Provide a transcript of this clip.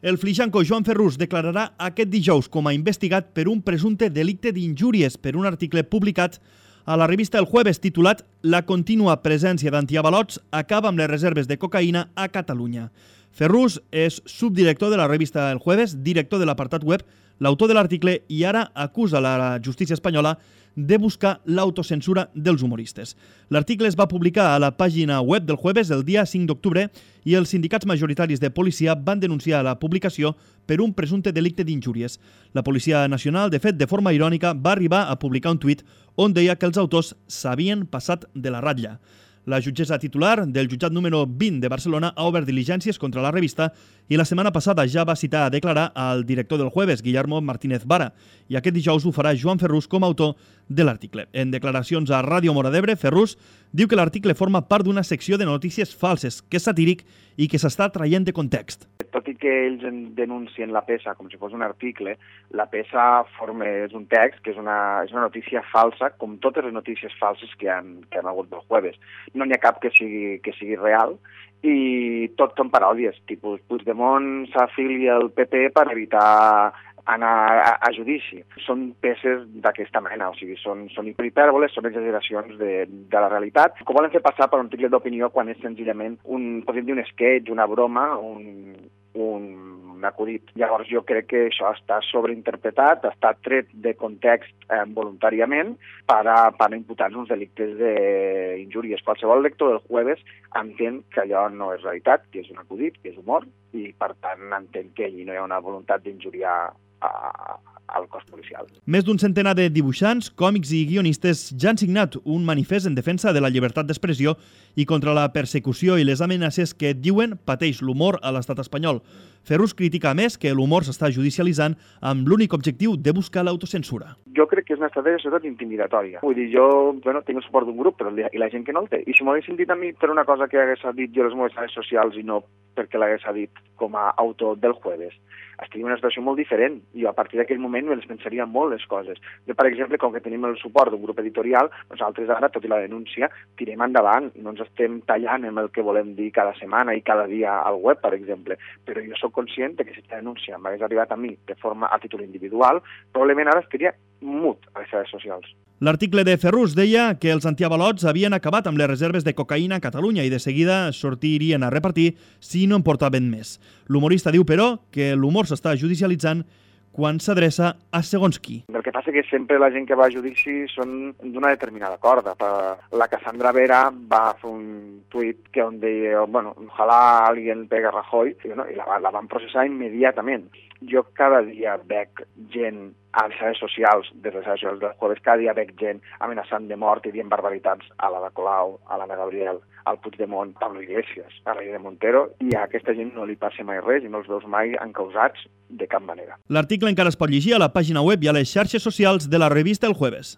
El flijanco Joan Ferrús declararà aquest dijous com a investigat per un presumpte delicte d'injúries per un article publicat a la revista El Jueves titulat «La contínua presència d'antiavalots acaba amb les reserves de cocaïna a Catalunya». Ferrús és subdirector de la revista El Jueves, director de l'apartat web, l'autor de l'article i ara acusa la justícia espanyola de buscar l'autocensura dels humoristes. L'article es va publicar a la pàgina web del Jueves el dia 5 d'octubre i els sindicats majoritaris de policia van denunciar la publicació per un presumpte delicte d'injúries. La Policia Nacional, de fet, de forma irònica, va arribar a publicar un tuit on deia que els autors s'havien passat de la ratlla. La jutgessa titular del jutjat número 20 de Barcelona ha obert diligències contra la revista i la setmana passada ja va citar a declarar al director del Jueves, Guillermo Martínez Vara, i aquest dijous ho farà Joan Ferrús com a autor de l'article. En declaracions a Ràdio Móra d'Ebre, Ferrús diu que l'article forma part d'una secció de notícies falses, que és satíric i que s'està traient de context. Tot i que ells denuncien la peça com si fos un article, la peça és un text que és una notícia falsa, com totes les notícies falses que han hagut del Jueves. No n'hi ha cap que sigui real i tot són paròdies, tipus Puigdemont s'afilia al PP per evitar anar a judici. Són peces d'aquesta mena, o sigui, són hipèrbole, són exageracions de la realitat, que volen fer passar per un article d'opinió quan és senzillament podríem dir un sketch, una broma, un acudit. Llavors jo crec que això està sobreinterpretat, està tret de context voluntàriament per imputar-nos uns delictes d'injúries. Qualsevol lector del Jueves entén que allò no és realitat, que és un acudit, que és humor, i per tant entén que allí no hi ha una voluntat d'injuriar al cos policial. Més d'un centenar de dibuixants, còmics i guionistes ja han signat un manifest en defensa de la llibertat d'expressió i contra la persecució i les amenaces que diuen pateix l'humor a l'estat espanyol. Ferrús critica a més que l'humor s'està judicialitzant amb l'únic objectiu de buscar l'autocensura. Jo crec que és una estratègia sobretot intimidatòria. Vull dir, jo tinc el suport d'un grup, però i la gent que no el té. I si m'ho haguessin dit a mi per una cosa que hagués dit jo a les meves xarxes socials i no perquè l'hagués dit com a autor del Jueves, estaria en una situació molt diferent i a partir d'aquell moment me les pensaria molt les coses. Jo, per exemple, com que tenim el suport d'un grup editorial, nosaltres ara, tot i la denúncia, tirem endavant, no ens estem tallant amb el que volem dir cada setmana i cada dia al web, per exemple, però jo sóc conscient que si aquesta denúncia m'hagués arribat a mi de forma a títol individual, probablement ara estaria mut a les xarxes socials. L'article de Ferrús deia que els antiavalots havien acabat amb les reserves de cocaïna a Catalunya i de seguida sortirien a repartir si no en portaven més. L'humorista diu, però, que l'humor s'està judicialitzant quan s'adreça a segons qui. El que passa que sempre la gent que va a judici són d'una determinada corda. La Cassandra Vera va fer un tuit on deia, ojalá alguien pegue a Rajoy, i la van processar immediatament. Jo cada dia veig gent a les xarxes socials, des de les xarxes socials del Jueves, cada dia veig gent amenaçant de mort i dient barbaritats a l'Ada Colau, a l'Anna Gabriel, al Puigdemont, a Pablo Iglesias, a la de Montero, i a aquesta gent no li passa mai res i no els veus mai encausats de cap manera. L'article encara es pot llegir a la pàgina web i a les xarxes socials de la revista El Jueves.